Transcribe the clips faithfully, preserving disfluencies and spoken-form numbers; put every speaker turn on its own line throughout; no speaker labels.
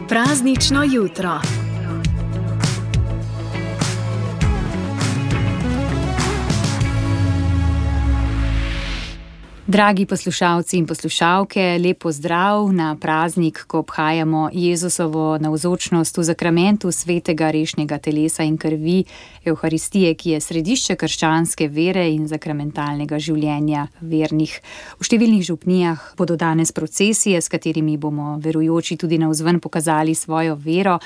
Praznično jutro. Dragi poslušalci in poslušalke, lep pozdrav na praznik, ko obhajamo Jezusovo navzočnost v zakramentu svetega rešnjega telesa in krvi Evharistije, ki je središče krščanske vere in zakramentalnega življenja vernih. V številnih župnijah bodo danes procesije, s katerimi bomo verujoči tudi navzven pokazali svojo vero.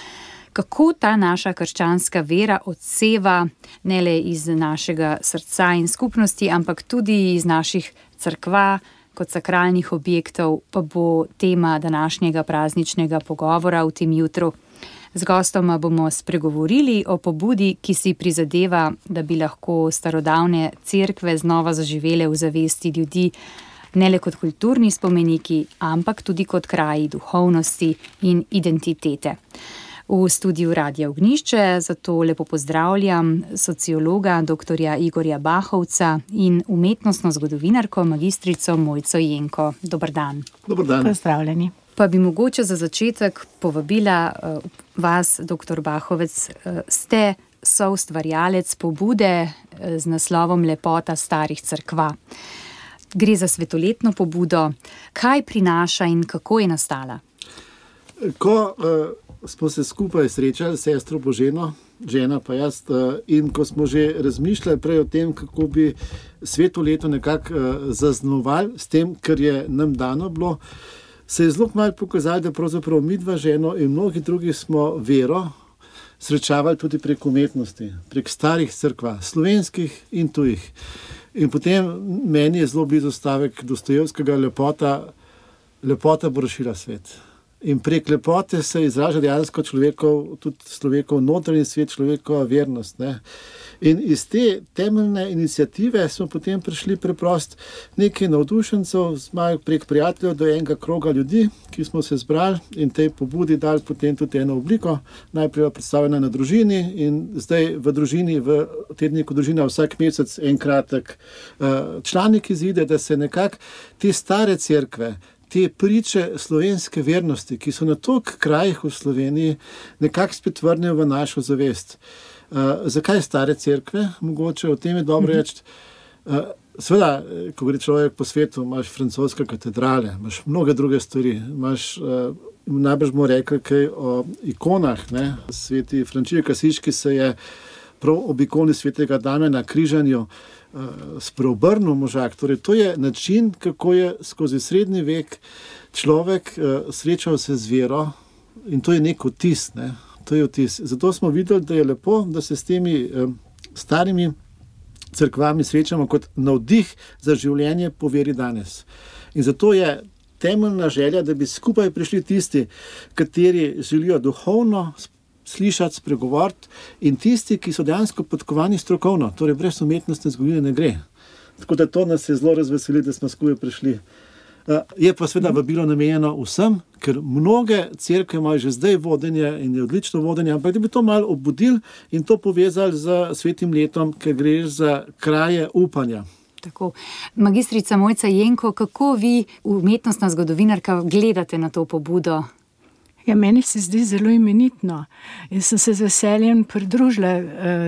Kako ta naša krščanska vera odseva ne le iz našega srca in skupnosti, ampak tudi iz naših cerkva kot sakralnih objektov, pa bo tema današnjega prazničnega pogovora v tem jutru. Z gostoma bomo spregovorili o pobudi, ki si prizadeva, da bi lahko starodavne cerkve znova zaživele v zavesti ljudi, ne le kot kulturni spomeniki, ampak tudi kot kraji duhovnosti in identitete. V studiu Radia Ognjišče zato lepo pozdravljam sociologa doktorja Igorja Bahovca in umetnostno zgodovinarko magistrico Mojco Jenko. Dober dan.
Dober dan.
Pozdravljeni.
Pa bi mogoče za začetek povabila uh, vas, doktor Bahovec, uh, ste soustvarjalec pobude uh, z naslovom Lepota starih cerkva. Gre za svetoletno pobudo. Kaj prinaša in kako je nastala?
Ko uh... smo se skupaj srečali, sestro Boženo, žena pa jaz, in ko smo že razmišljali prej o tem, kako bi sveto leto nekako zaznamovali s tem, kar je nam dano bilo, se je zelo malo pokazalo, da pravzaprav midva ženo in mnogi drugi smo vero srečavali tudi prek umetnosti, prek starih cerkva, slovenskih in tujih. In potem meni je zelo blizu stavek Dostojevskega, lepota, lepota bo rešila svet. In prek lepote se izraža dejansko človekov, tudi človekov notranji svet, človekova vernost. Ne? In iz te temeljne iniciative smo potem prišli preprost nekaj navdušencev, prek prijateljev do enega kroga ljudi, ki smo se zbrali in tej pobudi dali potem tudi eno obliko. Najprej predstavljena na družini in zdaj v družini, v tedniku družina vsak mesec en kratek uh, članek izide, da se nekako te stare cerkve, te priče slovenske vernosti, ki so na toliko krajih v Sloveniji, nekako spet vrnejo v našo zavest. Uh, zakaj stare cerkve? Mogoče o tem je dobro reči. Uh, Seveda, ko gre človek po svetu, imaš francoske katedrale, imaš mnoge druge stvari, imaš, uh, najbrž bomo rekli kaj o ikonah, ne? Sveti Frančišek Asiški se je prav ob ikoni svetega Damjana križanju spreobrnil možak. Torej, to je način, kako je skozi srednji vek človek uh, srečal se z vero in to je nek vtis. Ne? To je vtis. Zato smo videli, da je lepo, da se s temi um, starimi cerkvami srečamo kot navdih za življenje po veri danes. In zato je temeljna želja, da bi skupaj prišli tisti, kateri želijo duhovno slišati, spregovoriti in tisti, ki so dejansko podkovani strokovno, torej brez umetnostne zgodovine ne gre. Tako da to nas je zelo razveseli, da smo skupaj prišli. Je pa seveda vabilo namenjeno vsem, ker mnoge cerkve imajo že zdaj vodenje in je odlično vodenje, ampak da bi to malo obudili in to povezali z svetim letom, ker gre za kraje upanja.
Tako. Magistrica Mojca Jenko, kako vi, umetnostna zgodovinarka, gledate na to pobudo?
Ja, meni se zdi zelo imenitno. Jaz sem se z veseljem pridružila uh,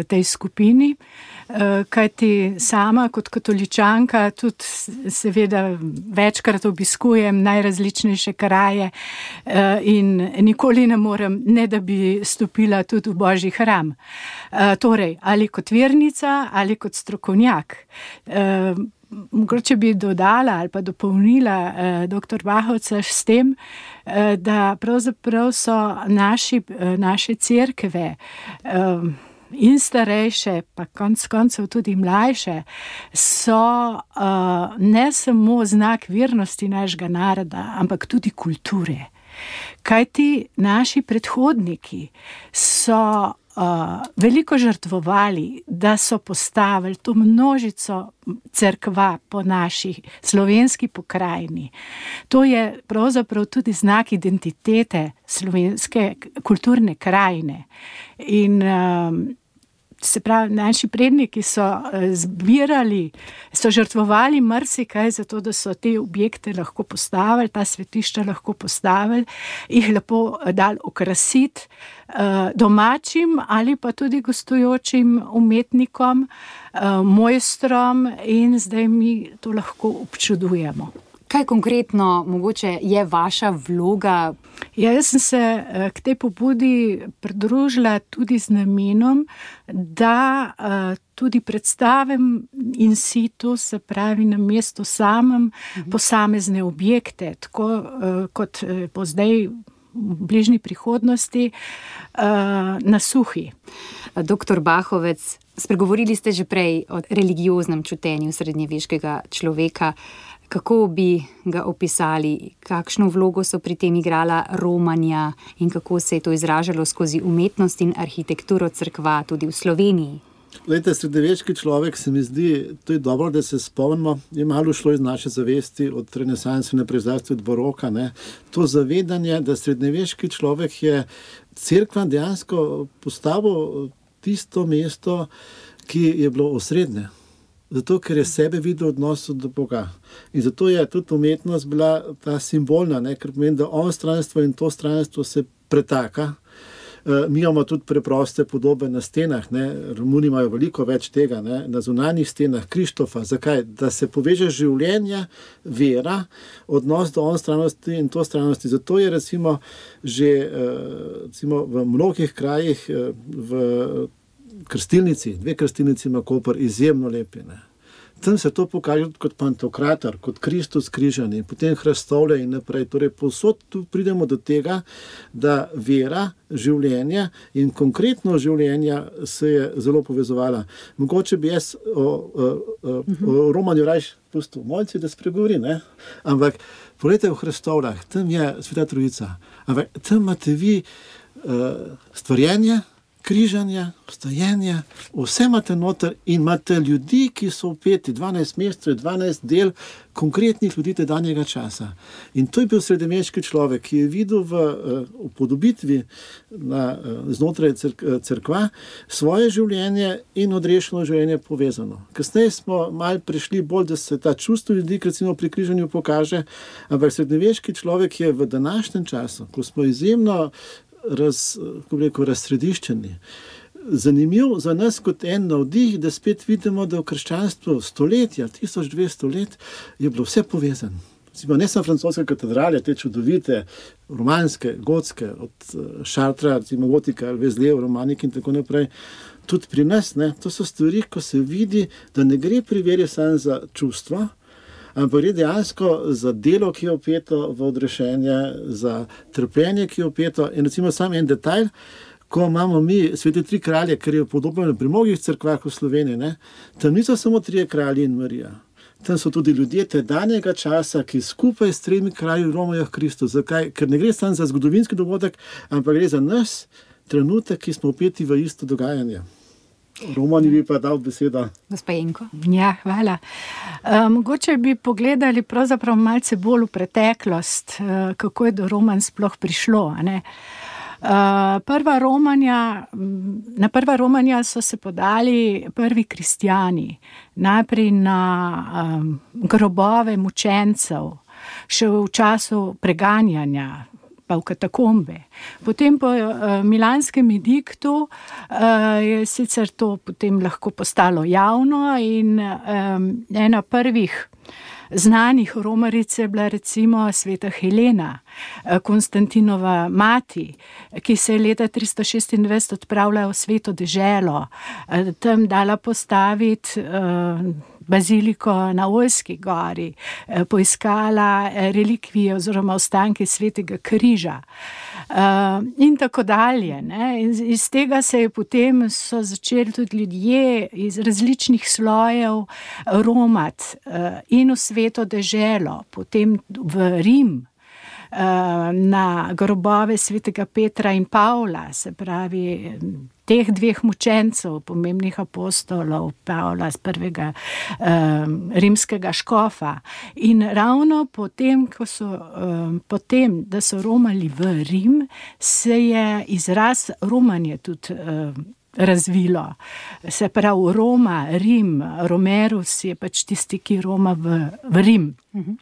tej skupini, uh, kajti sama kot katoličanka tudi seveda večkrat obiskujem najrazličnejše kraje uh, in nikoli ne morem, ne da bi stopila tudi v Božji hram. Uh, torej, ali kot vernica, ali kot strokovnjak. Uh, Mogoče bi dodala ali pa dopolnila eh, doktor Bahovca s tem, eh, da pravzaprav so naši, eh, naše cerkve eh, in starejše, pa konc koncev tudi mlajše, so eh, ne samo znak vernosti našega naroda, ampak tudi kulture. Kajti naši predhodniki so Uh, veliko žrtvovali, da so postavili to množico cerkva po naši slovenski pokrajini. To je pravzaprav tudi znak identitete slovenske kulturne krajine. In um, se pravi, naši predniki so zbirali, so žrtvovali marsikaj za to, da so te objekte lahko postavili, ta svetišča lahko postavili, jih lepo dali okrasiti domačim ali pa tudi gostujočim umetnikom, mojstrom in zdaj mi to lahko občudujemo.
Kaj konkretno mogoče je vaša vloga?
Ja, jaz sem se k tej pobudi pridružila tudi z namenom, da tudi predstavim in situ, se pravi na mestu samem, posamezne objekte, tako kot po zdaj v bližnji prihodnosti na Suhi.
Doktor Bahovec, spregovorili ste že prej o religioznem čutenju srednjeveškega človeka. Kako bi ga opisali, kakšno vlogo so pri tem igrala romanja in kako se je to izražalo skozi umetnost in arhitekturo cerkva tudi v Sloveniji?
Glejte, srednjeveški človek, se mi zdi, to je dobro, da se spomnimo, je malo šlo iz naše zavesti od renesanse naprej, zlasti od baroka, ne. To zavedanje, da srednjeveški človek je cerkva dejansko postavil tisto mesto, ki je bilo osrednje. Zato, ker je sebe videl v odnosu do Boga. In zato je tudi umetnost bila ta simbolna, ne? Ker pomeni, da on stranstvo in to stranstvo se pretaka. E, mi imamo tudi preproste podobe na stenah, ne? Romuni imajo veliko več tega, ne? Na zunanjih stenah Krištofa. Zakaj? Da se poveže življenje, vera, odnos do on stranosti in to stranosti. Zato je recimo že recimo, v mnogih krajih v krstilnici, dve krstilnici ima Koper, izjemno lepi. Ne. Tam se to pokaže kot pantokrator, kot Kristus križani, potem Hrastovle in naprej. Torej, povsod tu pridemo do tega, da vera, življenje in konkretno življenja se je zelo povezovala. Mogoče bi jaz o, o, o, o romanju rajš pustil Mojci, da spregovori, ne? Ampak poglejte v Hrastovlah, tam je Sveta Trojica, ampak tam imate vi uh, stvarjenje, križanje, vstajenje, vse imate noter in imate ljudi, ki so vpeti, dvanajst mesecev, dvanajst del konkretnih ljudi tedanjega časa. In to je bil srednjeveški človek, ki je videl v upodobitvi znotraj cerkva svoje življenje in odrešeno življenje povezano. Kasneje smo malo prišli bolj, da se ta čustvo ljudi, recimo pri križanju pokaže, ampak srednjeveški človek je v današnjem času, ko smo izjemno Raz, kako bi rekel, razsrediščeni. Zanimiv za nas kot en navdih, da spet vidimo, da v krščanstvu stoletja, tisoč dvesto let, je bilo vse povezano. Ne samo francoske katedrale, te čudovite, romanske, gotske, od Šartra, recimo Gotika, Vezlev, Romanik in tako naprej. Tudi pri nas, ne, to so stvari, ko se vidi, da ne gre pri veri samo za čustva, ampak gre dejansko za delo, ki je vpeto v odrešenje, za trpljenje, ki je vpeto. In recimo sam en detajl, ko imamo mi svete tri kralje, ker je podobno pri mnogih cerkvah v Sloveniji, ne, tam niso samo trije kralji in Marija. Tam so tudi ljudje tedanjega časa, ki skupaj s tremi kralji romajo h Kristu. Zakaj? Ker ne gre samo za zgodovinski dogodek, ampak gre za nas trenutek, ki smo vpeti v isto dogajanje. Romani bi pa dal besedo.
Gospa Jenko.
Ja, hvala. Uh, mogoče bi pogledali pravzaprav malce bolj v preteklost, uh, kako je do romanj sploh prišlo, a ne? Uh, prva romanja, na prva romanja so se podali prvi kristjani, najprej na um, grobove mučencev, še v času preganjanja, pa v katakombe. Potem po uh, milanskem ediktu uh, je sicer to potem lahko postalo javno in um, ena prvih znanih romaric je bila recimo sveta Helena, Konstantinova mati, ki se je leta tristo šestindvajset odpravila v sveto deželo, tam dala postaviti uh, baziliko na Oljski gori, poiskala relikvije oziroma ostanke svetega križa in tako dalje. Ne. Iz tega se je potem so začeli tudi ljudje iz različnih slojev romati in v sveto deželo, potem v Rim, na grobove svetega Petra in Pavla, se pravi teh dveh mučencev, pomembnih apostolov, Pavla z prvega um, rimskega škofa. In ravno potem, ko so, um, potem, da so romali v Rim, se je izraz romanje tudi um, razvilo. Se pravi Roma, Rim, Romerus je pač tisti, ki Roma v, v Rim. Uh-huh.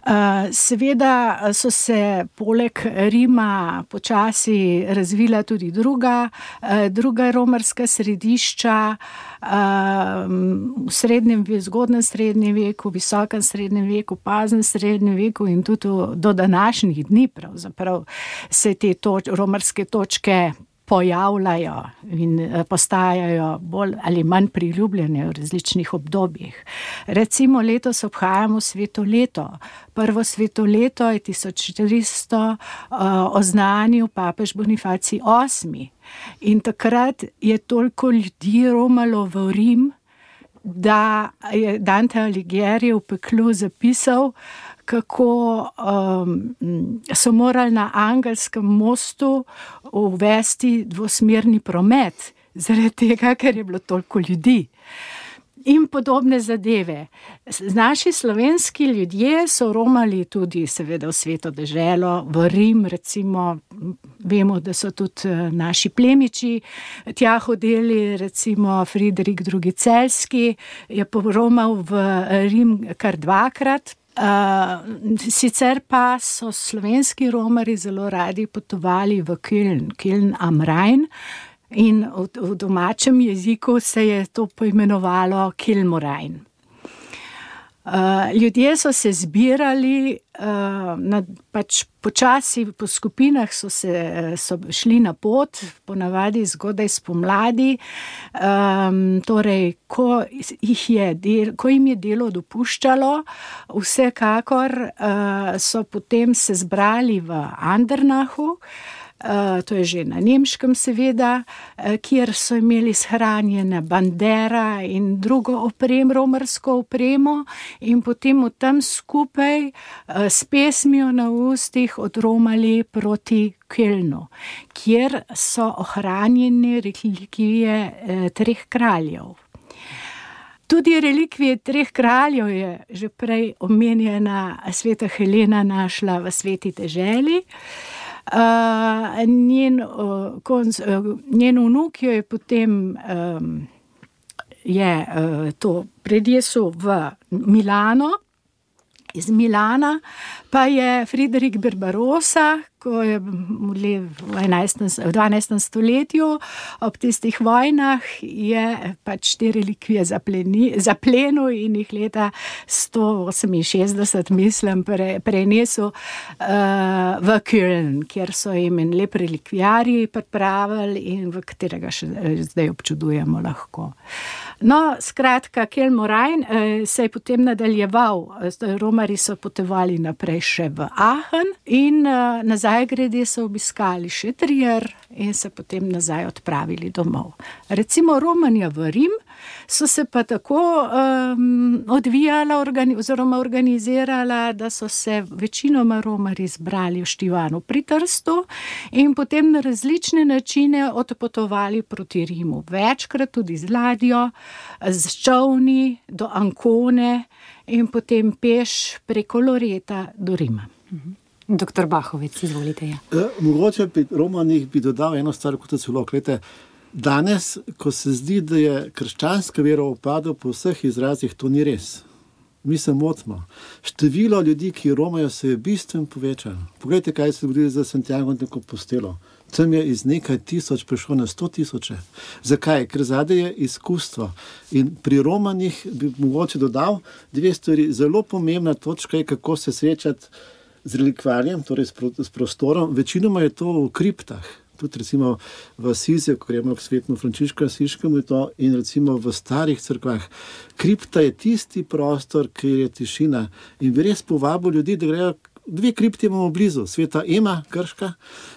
Uh, seveda so se poleg Rima počasi razvila tudi druga, uh, druga romarska središča uh, v srednjem, zgodnem srednjem veku, visokem srednjem veku, poznem srednjem veku in tudi do današnjih dni pravzaprav se te toč, romarske točke pojavljajo in postajajo bolj ali manj priljubljene v različnih obdobjih. Recimo letos obhajamo sveto leto. Prvo sveto leto je tisoč štiristo uh, oznanil papež Bonifacij osmi. In takrat je toliko ljudi romalo v Rim, da je Dante Alighieri v Peklu zapisal, kako um, so morali na Angelskem mostu uvesti dvosmerni promet, zaradi tega, ker je bilo toliko ljudi. In podobne zadeve. Naši slovenski ljudje so romali tudi seveda v Sveto deželo, v Rim, recimo, vemo, da so tudi naši plemiči tja hodili, recimo Friderik drugi. Celjski je poromal v Rim kar dvakrat. Uh, sicer pa so slovenski romari zelo radi potovali v Köln, Köln am Rhein, in v, v domačem jeziku se je to poimenovalo Kilmorain. Uh, ljudje so se zbirali, uh, na, pač počasi po skupinah so, se, so šli na pot, ponavadi zgodaj spomladi, um, torej ko, jih je del, ko jim je delo dopuščalo, vsekakor uh, so potem se zbrali v Andernachu, Uh, to je že na nemškem seveda, uh, kjer so imeli shranjene bandera in drugo oprem, romarsko opremo, in potem v tam skupaj uh, s pesmijo na ustih odromali proti Kölnu, kjer so ohranjene relikvije uh, treh kraljev. Tudi relikvije treh kraljev je že prej omenjena sveta Helena našla v Sveti deželi. Uh, njen, uh, konc, uh, njen vnuk jo je potem um, je uh, to predjesel v Milano, iz Milana pa je Friderik Barbarossa, ko je v dvanajstem stoletju ob tistih vojnah je pač te relikvije zaplenil in jih leta sto oseminšestdeset, mislim, pre, prenesel uh, v Köln, kjer so jim en lep relikvijarij pripravili in v katerega še zdaj občudujemo lahko. No, skratka, Kilmorain eh, se je potem nadaljeval. Romari so potovali naprej še v Aachen in eh, nazaj grede so obiskali še Trier in se potem nazaj odpravili domov. Recimo Romanja v Rim so se pa tako um, odvijala organi- oziroma organizirala, da so se večinoma Romari zbrali v Štivanu pri Trstu in potem na različne načine odpotovali proti Rimu. Večkrat tudi z ladjo, z čolni do Ancone in potem peš preko Loreta do Rima.
Doktor Bahovec, izvolite. Ja.
E, mogoče pri Romanih bi dodal eno stvar, kot je celo, gledajte, danes, ko se zdi, da je krščanska vera upadla po vseh izrazih, to ni res. Mi se motimo. Število ljudi, ki romajo, se je bistveno povečalo. Poglejte, kaj se je zgodilo za Santiago de Compostelo. Tam je iz nekaj tisoč prišlo na sto tisoče. Zakaj? Ker zadaj je izkustvo. In pri Romanih bi mogoče dodal dve stvari. Zelo pomembna točka je, kako se srečati z relikvarjem, torej s prostorom. Večinoma je to v kriptah. Tudi recimo v Asiziju, ko gremo k svetemu Frančišku Asiškemu, in recimo v starih cerkvah. Kripta je tisti prostor, ki je tišina. In bi res povabil ljudi, da grejo. Dve kripti imamo blizu, sveta Ema, Krška,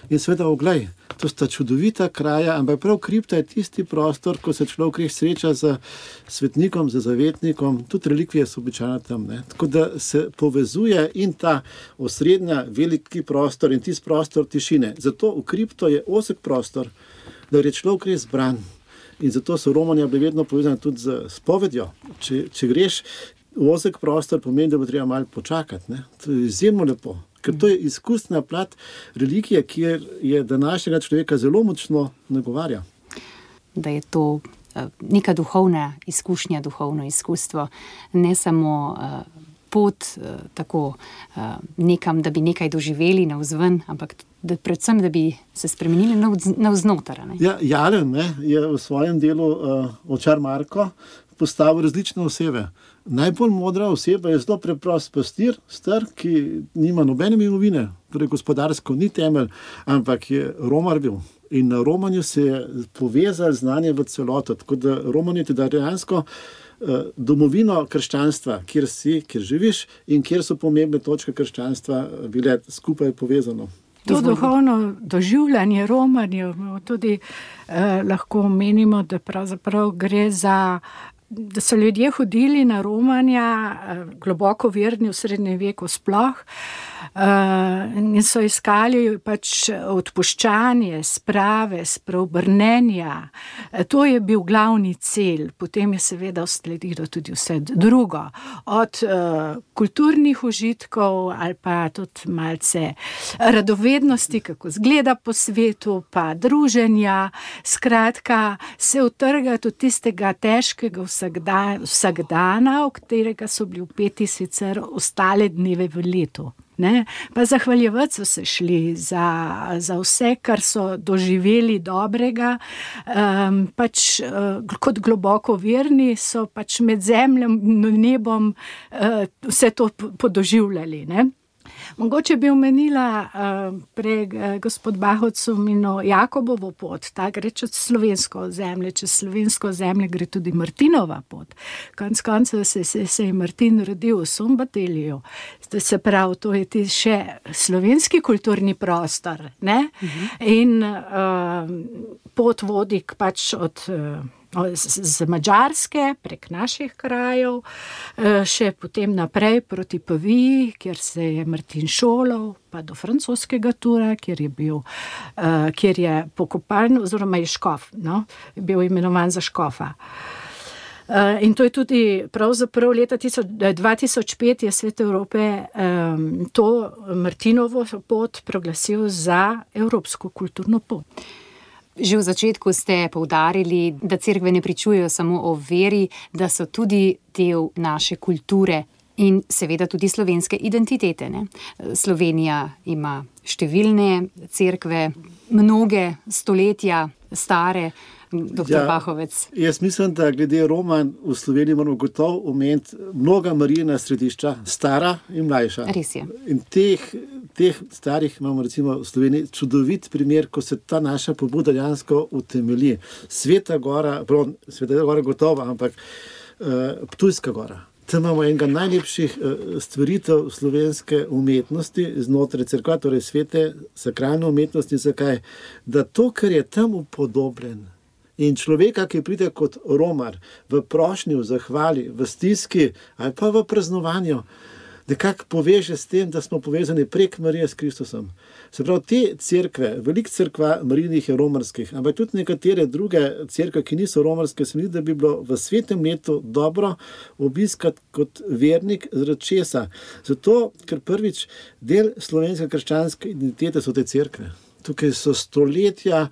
in sveta Oglej. To sta čudovita kraja, ampak prav kripta je tisti prostor, ko se človek res sreča z svetnikom, z zavetnikom, tudi relikvije so običajno tam. Ne? Tako da se povezuje in ta osrednja veliki prostor in tisti prostor tišine. Zato v kripto je ozek prostor, da je človek res zbran. In zato so Romanja bili vedno povezani tudi z spovedjo. Če, če greš ozek prostor, pomeni, da bo treba malo počakati. Ne? To je izjemno lepo, ker to je izkusna plat religije, kjer je današnjega človeka zelo močno nagovarja.
da je to neka duhovna izkušnja, duhovno izkustvo, ne samo pot tako nekam, da bi nekaj doživeli navzven, ampak da predvsem, da bi se spremenili navznoter.
Ja, Jalen ne, je v svojem delu uh, Očar Marko postavil različne osebe. Najbolj modra oseba je zelo preprost pastir, star, ki nima nobene imovine, torej gospodarsko ni temelj, ampak je romar bil. In na romanju se je povezal znanje v celoto. Tako da roman je teda dejansko uh, domovino krščanstva, kjer si, kjer živiš in kjer so pomembne točke krščanstva bile skupaj povezano.
To duhovno doživljanje romanjev tudi eh, lahko menimo, da pravzaprav gre za, da so ljudje hodili na romanja, eh, globoko verni v srednjem veku sploh, uh, in so iskali pač odpuščanje, sprave, spreobrnenja. To je bil glavni cilj. Potem je seveda sledilo tudi vse drugo. Od uh, kulturnih užitkov ali pa tudi malce radovednosti, kako zgleda po svetu, pa druženja. Skratka, se utrgati od tistega težkega vsakda, vsakdana, v katerega so bili vpeti sicer ostale dneve v letu. Ne? Pa zahvaljevati so se šli za, za vse, kar so doživeli dobrega, um, pač uh, kot globoko verni so pač med zemljo in nebom uh, vse to podoživljali. Ne? Mogoče bi omenila uh, prej uh, gospod Bahovec omenil Jakobovo pot, ta gre čez slovensko zemlje, čez slovensko zemlje gre tudi Martinova pot. Konec koncev se, se, se je Martin rodil v Sumbatelju, se pravi, to je ti še slovenski kulturni prostor, ne? Uh-huh. In uh, pot vodi pač od uh, z Madžarske prek naših krajev, še potem naprej proti Paviji, kjer se je Martin šolal, pa do francoskega Tura, kjer je bil, kjer je pokopan, oziroma je škof, no, bil imenovan za škofa. In to je tudi pravzaprav leta dva tisoč pet je Svet Evrope um, to Martinovo pot proglasil za evropsko kulturno pot.
Že v začetku ste poudarili, da cerkve ne pričujejo samo o veri, da so tudi del naše kulture in seveda tudi slovenske identitete. Ne? Slovenija ima številne cerkve, mnoge stoletja stare. Doktor Ja, Bahovec.
Jaz mislim, da glede roman v Sloveniji moramo gotovo omeniti mnoga Marijina središča, stara in mlajša.
Res je.
In teh, teh starih imamo recimo v Sloveniji čudovit primer, ko se ta naša pobuda dejansko utemelji. Sveta gora, prav, Sveta gora gotovo, ampak uh, Ptujska gora. Tam imamo enega najlepših uh, stvaritev slovenske umetnosti znotraj cerkva, torej svete sakralne umetnosti. Zakaj? Da to, kar je tam upodobljen, in človeka, ki pride kot romar v prošnji, v zahvali, v stiski ali pa v praznovanju, nekako poveže s tem, da smo povezani prek Marije s Kristusom. Se pravi, te cerkve, veliko cerkva Marijinih je romarskih, ampak tudi nekatere druge cerkve, ki niso romarske, se mi zdi, da bi bilo v svetem letu dobro obiskati kot vernik zaradi česa. Zato, ker prvič del slovenske krščanske identitete so te cerkve. Tukaj so stoletja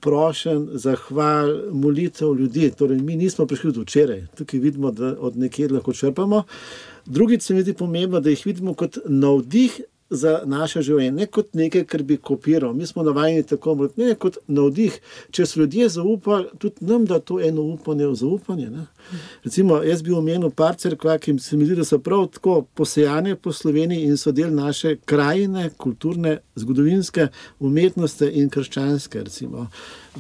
prošen, zahval, molitev ljudi. Torej, mi nismo prišli do včeraj. Tukaj vidimo, da od nekje lahko črpamo. Drugič se mi zdi pomembno, da jih vidimo kot navdih za naše življenje, ne kot nekaj, kar bi kopiral. Mi smo navajeni tako, ne kot navdih. Če so ljudje zaupali, tudi nam da to eno upanje v zaupanje. Ne? Recimo, jaz bi omenil par cerkva, ki se mi zdi, da so prav tako posejane po Sloveniji in so del naše krajine, kulturne, zgodovinske umetnosti in krščanske, recimo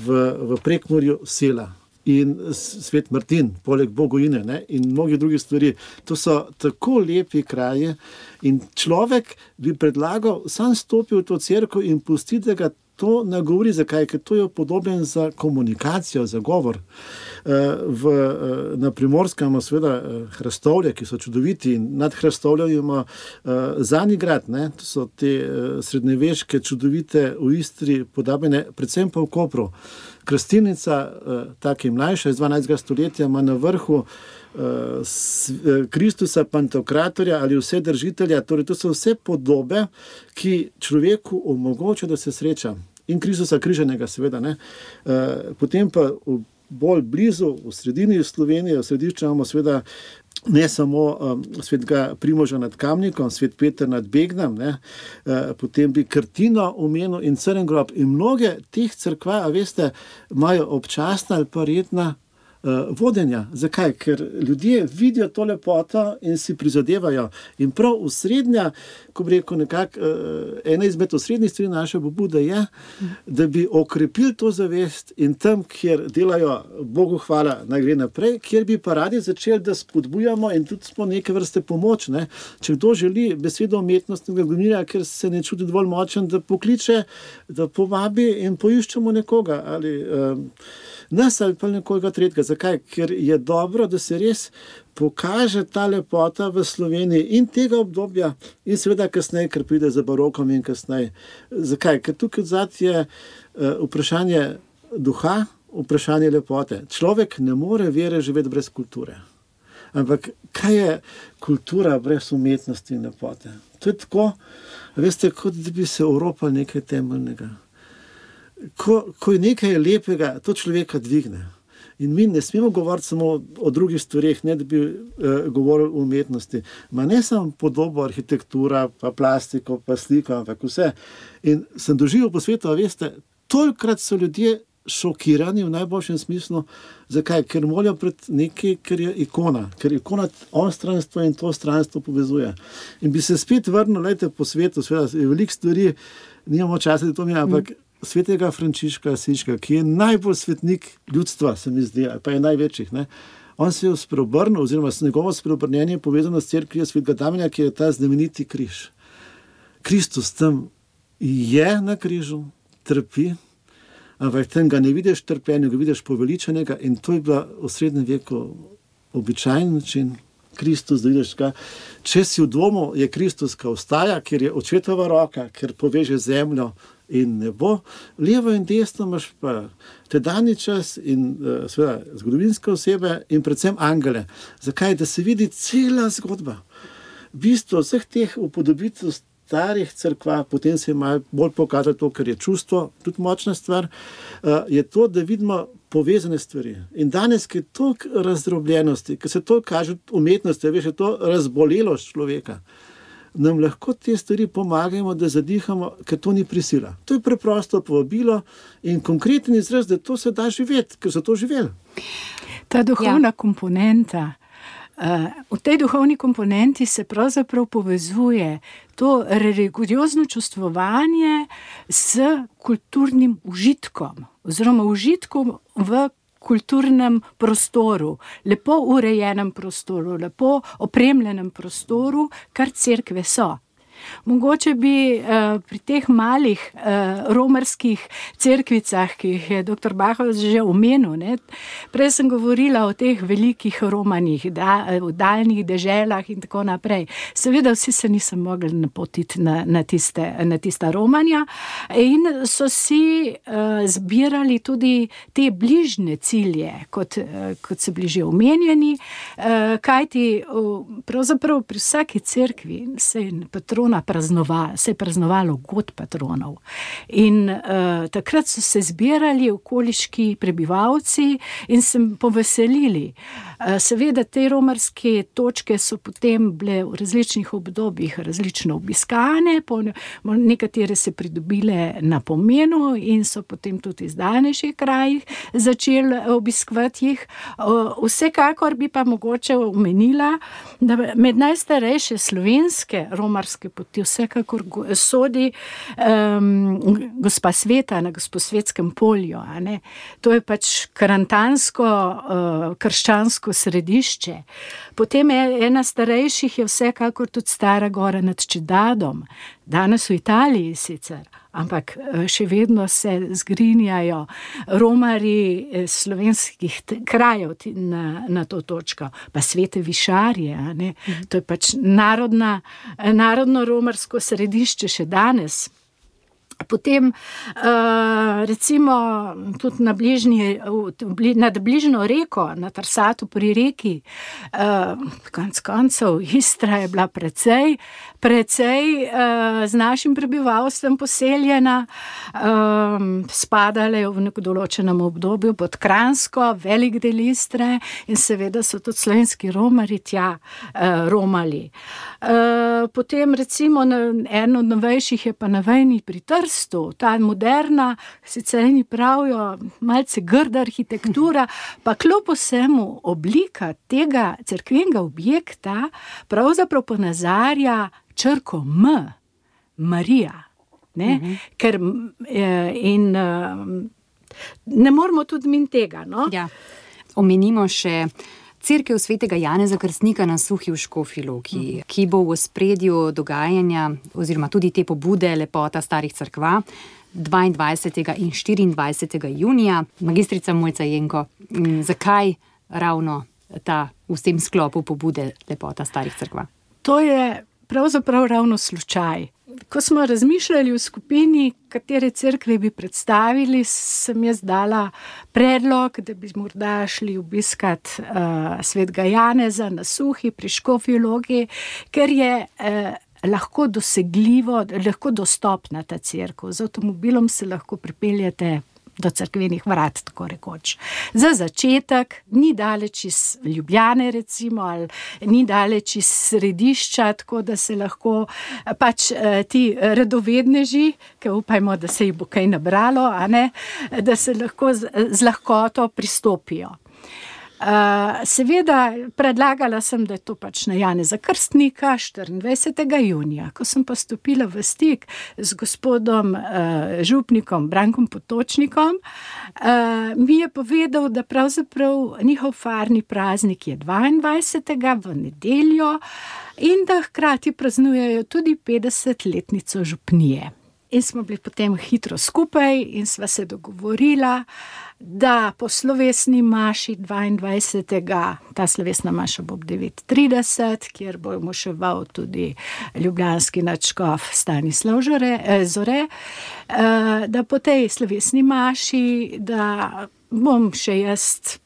v, v Prekmurju Sela in Svet Martin, poleg Bogojine, ne, in mnogi drugi stvari. To so tako lepi kraje in človek bi predlagal, sam stopi v to cerkev in pusti, da ga to nagovori. Zakaj? Ker to je upodobljen za komunikacijo, za govor. V, na Primorskem imamo seveda hrastovlje, ki so čudoviti, in nad hrastovljem imamo Zanigrad, ne? To so te srednjeveške čudovite v Istri podobene, predvsem pa v Kopru. Krastilnica, tako mlajša, iz dvanajstega stoletja, ima na vrhu Kristusa Pantokratorja ali vse držitelja. Torej, to so vse podobe, ki človeku omogoča, da se sreča. In Kristusa križanega, seveda. Ne? Potem pa v bolj blizu, v sredini Slovenije, v središču imamo seveda ne samo um, svetega Primoža nad Kamnikom, svet Peter nad Begnem, ne, uh, potem bi Krtino omenil in Crn grob. In mnoge teh cerkva, a veste, imajo občasna ali pa redna uh, vodenja. Zakaj? Ker ljudje vidijo to lepoto in si prizadevajo. In prav osrednja, ko bi rekel nekako, uh, ena izmed osrednjih stvari naše pobude je, da bi okrepili to zavest in tam, kjer delajo, Bogu hvala, naj gre naprej, kjer bi pa radi začeli, da spodbujamo in tudi smo neke vrste pomoč. Ne? Če kdo želi besedo umetnostnega gonilja, ker se ne čuti dovolj močen, da pokliče, da povabi in poiščemo nekoga ali um, nas ali pa nekoga tretjega. Zakaj? Ker je dobro, da se res pokaže ta lepota v Sloveniji in tega obdobja in seveda kasneje, ker pride za barokom in kasneje. Zakaj? Ker tukaj odzad je uh, vprašanje duha, vprašanje lepote. Človek ne more vere živeti brez kulture. Ampak kaj je kultura brez umetnosti in lepote? To je tako, veste, kot da bi se oropal nekaj temeljnega. Ko, ko je nekaj lepega, to človeka dvigne. In mi ne smemo govoriti samo o drugih stvareh, ne da bi eh, govorili o umetnosti. Ma ne samo podobo, arhitektura, pa plastiko, pa sliko, ampak vse. In sem doživel po svetu, a veste, tolikrat so ljudje šokirani v najboljšem smislu. Zakaj? Ker molijo pred nekaj, ker je ikona. Ker ikona onstranstvo in to stranstvo povezuje. In bi se spet vrnil, lejte, po svetu, seveda je veliko stvari, nimamo časa, da to mi je, ampak mm. svetega Frančiška Asiškega, ki je najbolj svetnik ljudstva, se mi zdi, pa je največjih. Ne? On se je spreobrnil, oziroma s njegovo spreobrnjenje povezano s cerkvijo svetega Damjana, ki je ta znameniti križ. Kristus tam je na križu, trpi, ampak tam ga ne vidiš trpenja, ga vidiš poveličenega in to je bila v srednjem veku običajen način. Kristus, da vidiš ga. Če si v domu, je Kristus, ki ostaja, ker je očetova roka, ker poveže zemljo in nebo. Levo in desno imaš pa tedanji čas in uh, seveda zgodovinske osebe in predvsem angele. Zakaj? Da se vidi cela zgodba. Bistvo vseh teh upodobitev starih cerkva, potem se je malo bolj pokazalo to, ker je čustvo, tudi močna stvar, uh, je to, da vidimo povezane stvari. In danes, ki je toliko razdrobljenosti, ki se to kaže umetnosti, veš, je to razbolelost človeka, nam lahko te stvari pomagamo, da zadihamo, ker to ni prisila. To je preprosto povabilo in konkreten izraz, da to se da živeti, ker so to živeli.
Ta duhovna ja. komponenta, Uh, v tej duhovni komponenti se pravzaprav povezuje to religiozno čustvovanje s kulturnim užitkom oziroma užitkom v kulturnem prostoru, lepo urejenem prostoru, lepo opremljenem prostoru, kar cerkve so. Mogoče bi uh, pri teh malih uh, romarskih cerkvicah, ki jih je doktor Bahovec že omenil, ne? Prej sem govorila o teh velikih romanih, da, v daljnih deželah in tako naprej. Seveda vsi se niso mogli napotiti na, na, tiste, na tista romanja in so si uh, zbirali tudi te bližnje cilje, kot, uh, kot so bili že omenjeni, uh, kajti uh, pravzaprav pri vsaki cerkvi se je patrona praznovalo, se je praznovalo god patronov. In uh, takrat so se zbirali okoliški prebivalci in se poveselili. Uh, seveda te romarske točke so potem bile v različnih obdobjih različno obiskane, po, nekatere se pridobile na pomenu in so potem tudi iz daljnejših krajih začeli obiskovati jih. Uh, vsekakor bi pa mogoče omenila, da med najstarejše slovenske romarske poti vsekakor sodi um, Gospa Sveta na Gosposvetskem polju. A ne? To je pač karantansko, uh, krščansko središče. Potem je ena starejših je vsekakor tudi Stara Gora nad Čedadom. Danes v Italiji sicer, ampak še vedno se zgrinjajo romarji slovenskih krajev na, na to točko. Pa Svete Višarje, a ne? Mhm. To je pač narodna, narodno romarsko središče še danes. Potem recimo tudi na bližnji, nad bližnjo reko, na Tarsatu pri reki, konec koncev Istra je bila precej, precej z našim prebivalstvom poseljena, spadale v neko določenem obdobju pod Kranjsko, velik del Istre in seveda so tudi slovenski romarji tja romali. Potem recimo eno od novejših je pa na Vejni pri Trstu, ta moderna, sicer eni pravijo, malce grda arhitektura, pa kljub vsemu oblika tega cerkvenega objekta pravzaprav ponazarja črko M, Marija. Ne? Uh-huh. Ker, in ne moramo tudi min tega. No?
Ja. Omenimo še Cerkev svetega Janeza Krstnika na Suhi v Škofji Loki, uh-huh. ki bo v ospredju dogajanja oziroma tudi te pobude Lepota starih cerkva dvaindvajsetega in štiriindvajsetega junija. Magistrica Mojca Jenko, zakaj ravno ta v tem sklopu pobude Lepota starih cerkva?
To je pravzaprav ravno slučaj. Ko smo razmišljali v skupini, katere cerkve bi predstavili, sem jaz dala predlog, da bi morda šli obiskat uh, svetega Janeza na Suhi pri Škofji Loki, ker je uh, lahko dosegljivo, lahko dostopna ta cerkev. Z avtomobilom se lahko pripeljete do cerkvenih vrat, tako rekoč. Za začetek ni daleč iz Ljubljane recimo, ali ni daleč iz središča, tako da se lahko pač ti radovedneži, ki upajmo, da se jih bo kaj nabralo, a ne, da se lahko z, z lahkoto pristopijo. Uh, seveda predlagala sem, da je to pač na Janeza Krstnika štiriindvajsetega junija. Ko sem pa stopila v stik z gospodom uh, župnikom Brankom Potočnikom, uh, mi je povedal, da pravzaprav njihov farni praznik je dvaindvajsetega v nedeljo in da hkrati praznujejo tudi petdesetletnico župnije. In smo bili potem hitro skupaj in sva se dogovorila, da po slovesni maši dvaindvajsetega ta slovesna maša bo ob devet trideset, kjer bo moševal tudi ljubljanski nadškof Stanislav Zore, da po tej slovesni maši, da bom še jaz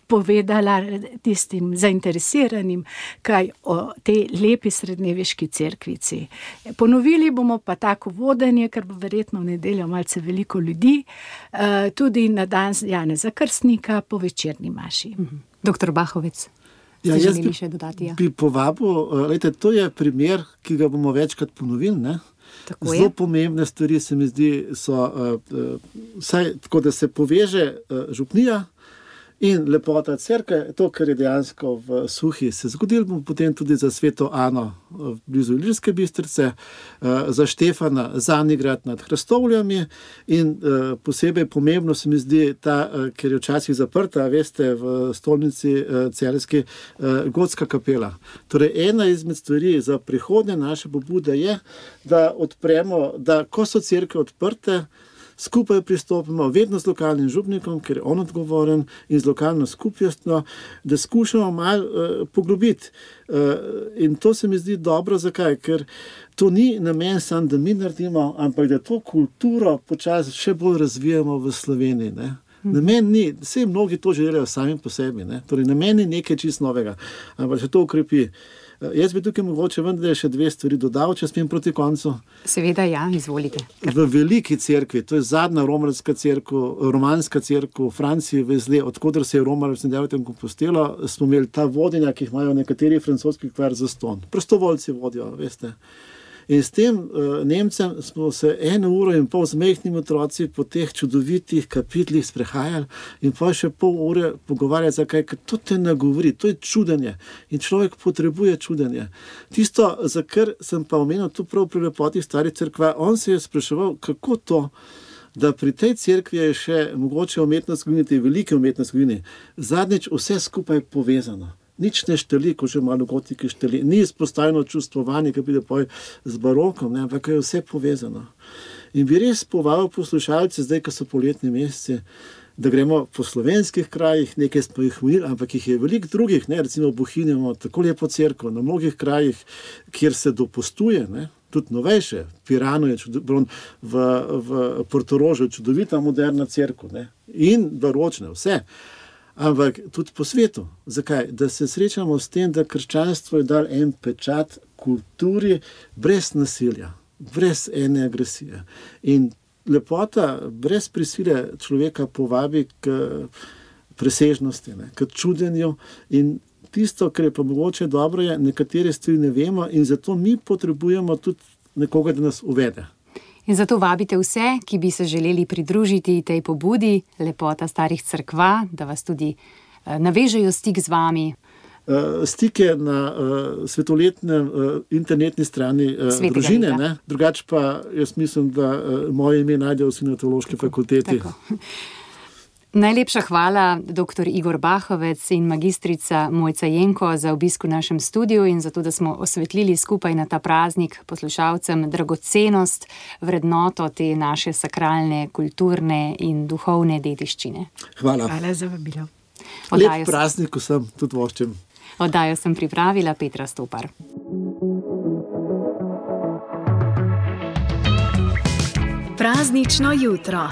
povedala tistim zainteresiranim, kaj o tej lepi srednjeveški cerkvici. Ponovili bomo pa tako vodenje, ker bo verjetno v nedeljo malce veliko ljudi, tudi na dan Janeza Krstnika po večerni maši.
Doktor Bahovec, ste
ja,
želeli
bi,
še dodati? Ja?
Bi povabil, lejte, to je primer, ki ga bomo večkrat ponovili, ne?
Tako
Zelo
je.
pomembne stvari se mi zdi, so uh, vsaj tako, da se poveže uh, župnija in lepota cerkve, to, kar je dejansko v Suhi se zgodilo, bomo potem tudi za sveto Ano blizu Ilirske Bistrice, za Štefana Zanigrad nad Hrastovljami in posebej pomembno se mi zdi ta, ker je včasih zaprta, veste, v stolnici celjski gotska kapela. Torej, ena izmed stvari za prihodnje naše pobude je, da odpremo, da ko so cerkve odprte, skupaj pristopimo, vedno z lokalnim župnikom, ker je on odgovoren, in z lokalno skupnostjo, da skušamo malo uh, poglobiti. Uh, in to se mi zdi dobro, zakaj? Ker to ni namen sam, da mi naredimo, ampak da to kulturo počasi še bolj razvijamo v Sloveniji. Ne? Namen ni, vse mnogi to želijo sami po sebi, ne? Torej namen ni nekaj čist novega, ampak še to ukrepi. Jaz bi tukaj mogoče vendar še dve stvari dodal, če smem proti koncu.
Seveda, ja, izvolite.
V veliki cerkvi, to je zadnja romarska cerkev, romanska cerkev v Franciji, vezle, odkudar se je romalo v Santiago de Compostela, smo imeli ta vodenja, ki jih imajo nekateri francoski kvar za ston. Prostovoljci vodijo, veste. In s tem uh, Nemcem smo se eno uro in pol z majhnimi otroci po teh čudovitih kapitlih sprehajali in pa še pol ure pogovarjali, zakaj, ker to te nagovori, to je čudenje in človek potrebuje čudenje. Tisto, za kar sem pa omenil tu prav pri lepoti starih cerkva, on se je spraševal, kako to, da pri tej cerkvi je še mogoče umetnost zgodini, te velike umetnost zgodini, zadnjič vse skupaj povezano. Nič ne šteli, ko že malo gotiki šteli. Ni izpostavljeno čustvovanje, ki pride poj z barokom, ne, ampak je vse povezano. In bi res povabil poslušalce, zdaj, ko so poletni meseci, da gremo po slovenskih krajih, nekaj smo jih imeli, ampak jih je veliko drugih, ne, recimo v Bohinju imamo tako lepo cerkev, na mnogih krajih, kjer se dopustuje, ne, tudi novejše, Piranu je čudovito, v, v Portorožu je čudovita moderna cerkev, ne, in baročne, vse. Ampak tudi po svetu. Zakaj? Da se srečamo s tem, da krščanstvo je dal en pečat kulturi brez nasilja, brez ene agresije. In lepota brez prisile človeka povabi k presežnosti, ne, k čudenju. In tisto, kar je pa mogoče dobro, je, nekatere stvari ne vemo in zato mi potrebujemo tudi nekoga, da nas uvede.
In zato vabite vse, ki bi se želeli pridružiti tej pobudi Lepota starih cerkva, da vas tudi navežejo stik z vami.
Stik je na uh, svetoletnem uh, internetni strani uh, družine, ne? Drugače pa jaz mislim, da uh, moje ime najdejo vsi na teološki fakulteti. Tako.
Najlepša hvala, doktor Igor Bahovec in magistrica Mojca Jenko, za obisk v našem studiu in za to, da smo osvetlili skupaj na ta praznik poslušalcem dragocenost, vrednoto te naše sakralne, kulturne in duhovne dediščine.
Hvala.
Hvala za vabilo.
Lep praznik vsem, tudi voščem.
Oddajo sem pripravila Petra Stopar.
Praznično jutro.